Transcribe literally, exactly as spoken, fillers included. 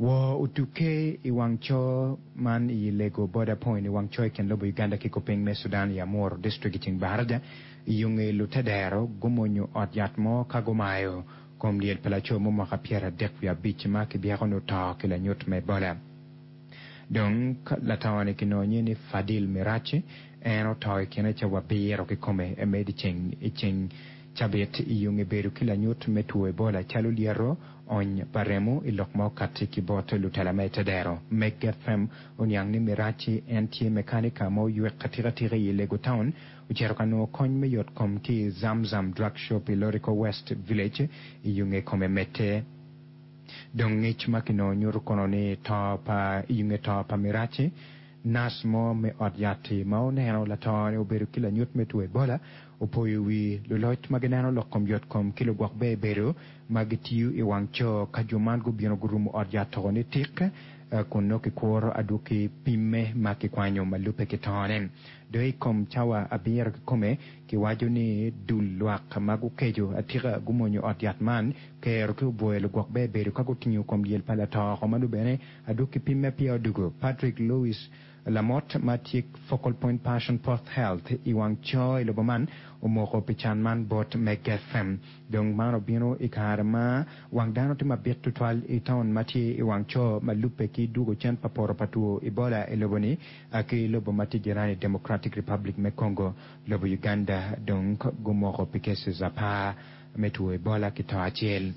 Woo otuke i wang coo man i Lego Border Point i wang coo i kin lobo Uganda ki kupiny me Sudan i Amuru District i ceng Baraja iyonge lutedero gumonyo ot yat mo ka gumayo kom lyel pa laco mo mwaka pyeradek wiye abic ma kibyeko ni oto ki lanyut me Ebola. Dong lato-ni kinongo nyinge ni Fadil Mirachi en oto i kine cawa abiro kikome me dyeceng i ceng cabit iyonge bedo ki lanyut me two Ebola calo lyeto, ony pa remo i lok ma okati ki bot lutela me tedero. Meg FM oniang ni Mirachi en tye mekanika ma oywek atikatika i Alego Town ocito ka nongo kony me yot kom ki i Zamzam Drug Shop i Loriko West Village iyonge kome medde. Dong ngec ma kinongo nyuto kono ni to pa iyonge to pa Mirachi nac mo me ot yat-ti ma oneno lato-ni obedo ki lanyut me two Ebola opoyo wi luloc ma gineno lok kom yot kom ki lugwok ber bedo ma gitiyo i wang coo ka jo man gubino gurumo ot yat toko ni tik kun nongo kikuro adwogi pimme ma kikwanyo ma lubbe ki tone. Dong i kom cawa abiro kikome kiwaco ni dul lwak ma gukeco atika gumonyo ot yat man kero ki obwoyo lugwok ber bedo ka gutingo kom lyel pa lato ma nongo bene adwogi pimme peya odugo. Patrick Louis Lamot ma tye focal point person post health i wang coo i lobo man omoko pi can man bot Meg FM. Dong man obino i kare ma wang dano tye mabit tutwal i taun ma tye i wang coo ma lubbe ki dwogo cen pa poto pa two Ebola i lobo-ni ki lobo ma tye jirani Democratic Republic me Congo. Lobo Uganda dong gumoko pi cases apar me two Ebola ki to acel.